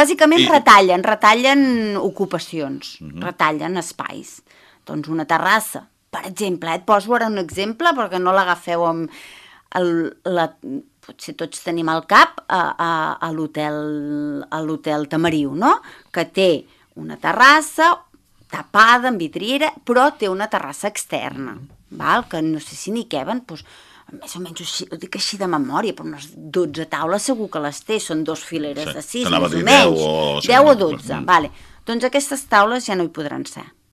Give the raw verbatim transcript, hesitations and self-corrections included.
bàsicament I- retallen, retallen ocupacions, Mhm. retallen espais. Doncs una terrassa, per exemple, eh, et poso ara un exemple perquè no l'agafeu amb el, la, potser tots tenim al cap a, a, a l'hotel a l'hotel Tamariu, no? Que té una terrassa tapada amb vidriera, però té una terrassa externa, val? Que no sé si n'hi queben, doncs, més o menys així, ho dic així de memòria, però unes dotze taules segur que les té, són dos fileres Sí, de sis, t'anava a més o dir menys, deu o- sí, deu o no, dotze, mm. vale. Doncs aquestes taules ja no hi podran ser.